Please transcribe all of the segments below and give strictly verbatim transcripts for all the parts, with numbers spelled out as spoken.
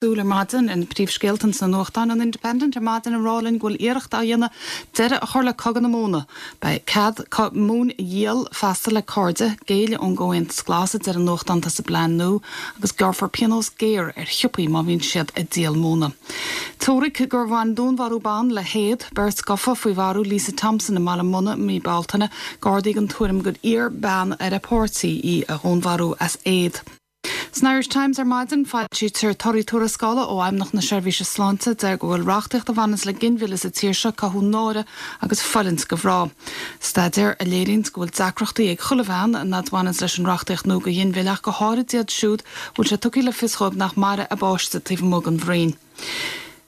Súil ar maidin ar na príomhscéalta sna nuachtáin an Independent ar maidin ag rá linn go bhfuil iarracht á dhéanamh deireadh a chur le cogadh na móna. Beidh cead móin a dhíol feasta le cairde, géilleadh ón gComhaontas Glas a deir an nuachtán atá sa bplean nua agus gearrfar pionós géar ar shiopaí má bhíonn siad ag díol móna. Teoiric gur bhain dúnmharú ban le héad beirt gafa faoi mharú Lisa Thompson i mBaile Munna mí Bealtaine, Gardaí den tuairim gur iarr bean ar a páirtí í a dhúnmharú as éad. San Irish Times ar maidin foilsítear torthaí tuarascála ó Fheidhmeannacht na Seirbhíse Sláinte deir go bhfuil reachtaíocht a bhaineanns le ginmhilleadh sa tír seo ag cothú náire agus fulaingt do mhná. Staidéar a léiríonn go bhfuil deacrachtaí ag chuile bhean a bhaineanns leis an reachtaíocht nua do ghinmhilleadh go háirid iad siúd bhfuil sé tugtha le fios dóibh nach mairfidh a bpáiste taobh amuigh den bhroinn.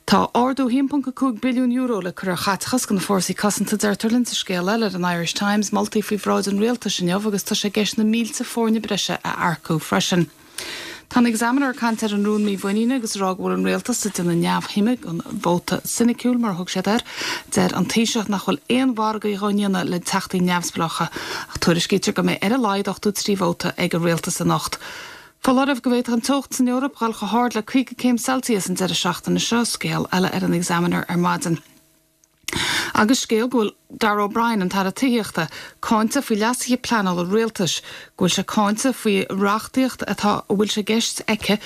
Tá ardú haon ponc a cúig billiún euro le cur ar chaiteachas do na fórsaí cosanta deirtear linn sa scéal eile ar an Irish Times moltaí faoi bhráid an rialtais inniu agus tá sé i gceist na mílte foirne breise a earcú freisin. Tá an Examiner ag caint ar an rún mímhuiníne agus rá go bhfuil an rialtas ag déanamh neamhshuime den vóta soiniciúil mar a thug siad air, deir an Taoiseach nach bhfuil aon mhargaí á ndéanamh le teachtaí neamhspleácha ach tuairiscítear go mbeidh ar a laghad ochtó trí vóta ag an rialtas anocht. Foláireamh go bhféadfadh an teocht san Eoraip dul chomh hard le caoga céim Celsius an deireadh seachtaine seo scéal eile ar an Examiner ar maidin. Agus scéal go bhfuil Darragh O'Brien an tAire Tithíochta cáinte faoi leasuithe pleanála rialtais, go bhfuil sé cáinte faoi reachtaíocht atá a bhfuil sé i gceist aici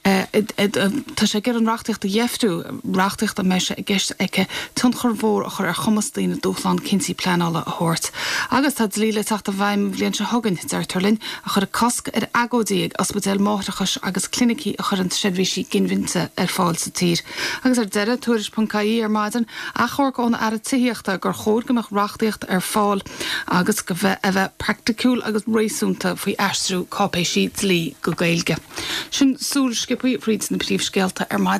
Tá sé ag iarraidh an reachtaíocht a dheifriú, reachtaíocht a mbeidh sé i gceist aici tionchar mhór a chur ar chumas daoine dúshlán cinntí pleanála a thabhairt. Agus tá dlí le teacht i bhfeidhm an bhliain seo chugainn, deirtear linn, a chuirfidh cosc ar agóidí ag ospidéil máithreachais agus clinicí a chuireann seirbhísí ginmhillte ar fáil sa tír. Agus ar deireadh tuairisc.ie ar maidin, achomharc ón Aire Tithíochta gur chóir go mbeadh reachtaíocht ar fáil agus go bheith a bheith praiticiúil agus réasúnta faoi aistriú cáipéisí dlí go Gaeilge. Sin súil sciobtha fríd na príomhscéalta ar maidin.